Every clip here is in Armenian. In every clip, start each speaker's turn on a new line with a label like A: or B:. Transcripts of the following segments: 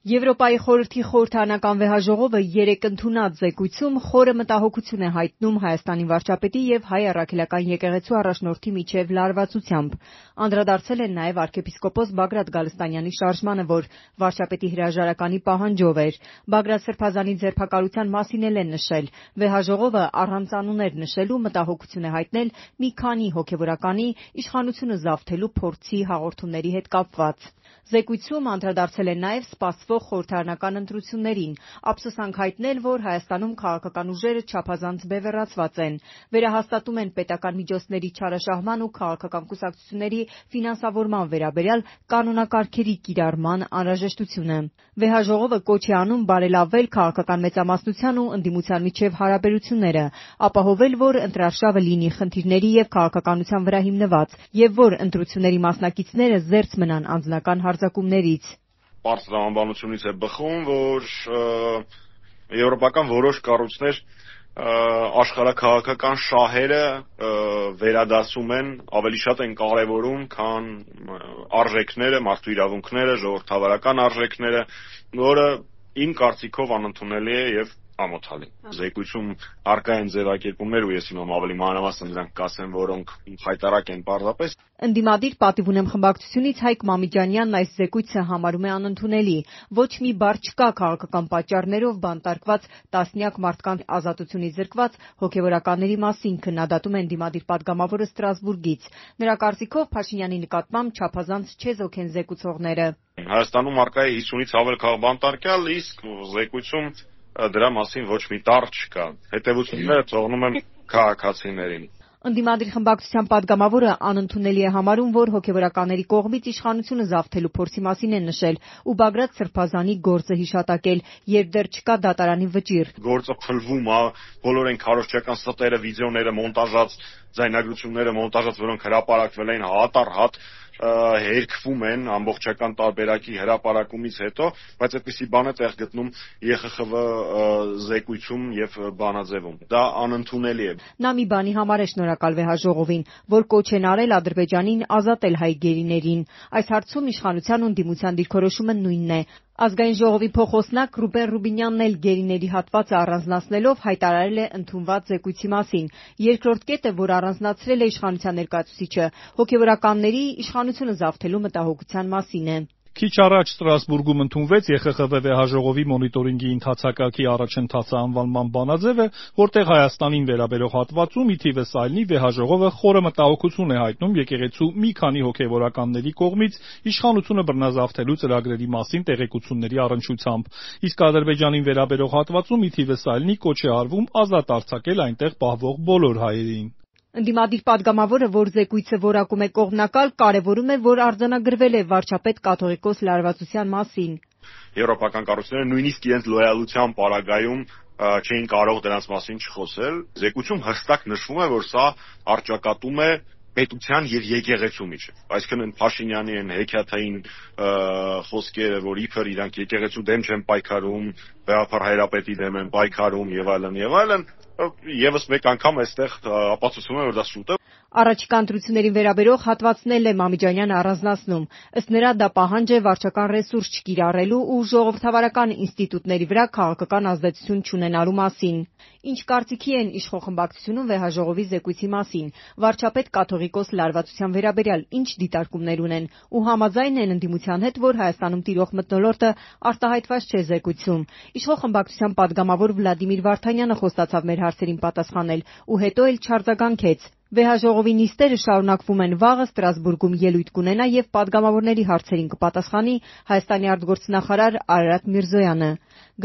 A: Եվրոպայի խորհրդի խորհրդարանական վեհաժողովը երեկ ընդունած զեկույցում խորը մտահոգություն է հայտնում Հայաստանի վարչապետի եւ հայ առաքելական եկեղեցու առաջնորդի միջև լարվածությամբ։ Անդրադարձել են նաեւ arczepiskopos Բագրատ Գալստանյանի շարժմանը, որ վարչապետի հրաժարականի պահանջով էր։ Բագրատ Սրբազանի ձերբակալության մասին էլ են նշել։ Վեհաժողովը առանց անուններ նշելու մտահոգություն է հայտնել մի քանի հոգեվորականի իշխանությունը զավթելու փորձի հաղորդումների հետ կապված։ Զեկույցում անդրադարձել են նաև սպասվող խորհրդարանական ընտրություններին, ափսոսանք հայտնել, որ Հայաստանում քաղաքական ուժերը չափազանց բևեռացված են, վերահաստատում են պետական միջոցների չարաշահման ու քաղաքական կուսակցությունների ֆինանսավորման վերաբերյալ կանոնակարգերի կիրառման անհրաժեշտությունը։ Վեհաժողովը կոչ է անում բարելավել քաղաքական մեծամասնության ու ընդդիմության միջև հարաբերությունները, ապահովել, որ ընտրարշավը լինի խնդիրների եւ քաղաքականության վրա հիմնված, եւ որ ընտրությունների մասնակիցները զերծ մնան անձնական հարձակումներից։
B: Պարզ տրամաբանությունից է բխում, որ եվրոպական որոշ կառույցներ աշխարհաքաղաքական շահերը վերադասում են, ավելի շատ են կարևորում, քան արժեքները, մարդու իրավունքները, ժողովրդավարական արժեքները, որը իմ կարծիքով անընդունելի է եւ ամոթալի։ Զեկույցում առկա են ձևակերպումներ, ու ես հիմա ավելի մանրամասն նրանք կասեմ, որոնք խայտառակ են պարզապես։
A: Ընդդիմադիր պատիվ ունեմ խմբակցությունից Հայկ Մամիջանյանն այս զեկույցը համարում է անընդունելի։ Ոչ մի բառ չկա քաղաքական պատճառներով բանտարկված տասնյակ մարդկանց ազատությունից զրկված հոգեվորականների մասին, քննադատում է ընդդիմադիր падգամավորը Ստրասբուրգից։ Նրա կարծիքով Փաշինյանի նկատմամբ չափազանց չեզոք են զեկուցողները։
B: Հայաստանում առկա է 50-ից ավել քաղբանտարկյալ, իսկ զեկույցում դրա մասին ոչ մի տառ չկա։ Հետևությունները թողնում են քաղաքացիներին։
A: Ընդդիմադիր խմբակցության падգամավորը անընդունելի է համարում, որ հոգեվորականների կողմից իշխանությունը զավթելու փորձի մասին են նշել ու Բագրատ Սրբազանի գործը հիշատակել, երբ դեռ չկա դատարանի վճիռ։
B: Գործը փլվում է, բոլոր այն քարոզչական ստերը, վիդեոները, մոնտաժած ձայնագրությունները մոնտաժած, որոնք հրապարակվել են հատ առ հատ հերքվում են ամբողջական տարբերակի հրապարակումից հետո, բայց այդպիսի բան է տեղ գտնում ԵԽԽՎ զեկույցում եւ բանաձեվում։ Դա անընդունելի է։
A: Նա մի բանի համար է շնորհակալ վեհաժողովին, որ կոչ են արել Ադրբեջանին ազատել հայ գերիներին։ Այս հարցում իշխանության ու ընդդիմության դիրքորոշումը նույնն է։ Ազգային ժողովի փոխոսնակ Ռուբեն Ռուբինյանն էլ գերիների հատվածը առանձնացնելով հայտարարել է ընդունված զեկույցի մասին։ Երկրորդ կետը, որ առանձնացրել է իշխանության ներկայացուցիչը, հոգեվորականների իշխանությունը զավթելու մտահոգության մասին է։
C: Քիչ առաջ Ստրասբուրգում ընդունվեց ԵԽԽՎ վեհաժողովի մոնիտորինգի ընթացակարգի առաջընթացը անվանման բանաձևը, որտեղ Հայաստանին վերաբերող հատվածում ի թիվս այլնի վեհաժողովը խորը մտահոգություն է հայտնում եկեղեցու մի քանի հոգեվորականների կողմից իշխանությունը բռնազավթելու ծրագրերի մասին տեղեկությունների առնչությամբ, իսկ Ադրբեջանին վերաբերող հատվածում ի թիվս այլնի կոչ է արվում ազատ արձակել այնտեղ պահվող բոլոր հայերին։
A: Ընդդիմադիր падգամավորը, որ զեկույցը որակում է կողմնակալ, կարևորում է, որ արձանագրվել է վարչապետ կաթողիկոս լարվածության մասին։
B: Եվրոպական կառույցները նույնիսկ իրենց լոյալության պարագայում չէին կարող դրանց մասին չխոսել։ Զեկույցում հստակ նշվում է, որ սա առճակատում է պետության եւ եկեղեցու միջեւ։ Այսինքն Փաշինյանի այն հեքիաթային խոսքերը, որ իբր իրանք եկեղեցու դեմ չեն պայքարում, բեհափար հայրապետի դեմ են պայքարում եւ այլն, եւս մեկ անգամ այստեղ ապացուցում է, որ դա շուտ է։
A: Առաջիկա ընտրություններին վերաբերող հատվածն էլ է Մամիջանյանը առանձնացնում։ Ըստ նրա դա պահանջ է վարչական ռեսուրս չկիրառելու ու ժողովրդավարական ինստիտուտների վրա քաղաքական ազդեցություն չունենալու մասին։ Ինչ կարծիքի են իշխող խմբակցությունում վեհաժողովի զեկույցի մասին, վարչապետ կաթողիկոս լարվածության վերաբերյալ ինչ դիտարկումներ ունեն ու համաձայն են ընդդիմության հետ, որ Հայաստանում տիրող մթնոլորտը արտահայտված չէ զեկույցում։ Իշխող խմբակցության падգամավոր Վլադիմիր Վարդանյանը խոստացավ մեր հարցերին պատասխանել ու հետո էլ չարձագանքեց։ Վեհաժողովի նիստերը շարունակվում են վաղը Ստրասբուրգում ելույթ կունենա եւ падգամավորների հարցերին կպատասխանի Հայաստանի արտգործնախարար Արարատ Միրզոյանը։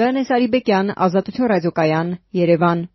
A: Գայանե Սարիբեկյան, Ազատություն ռադիոկայան, Երևան։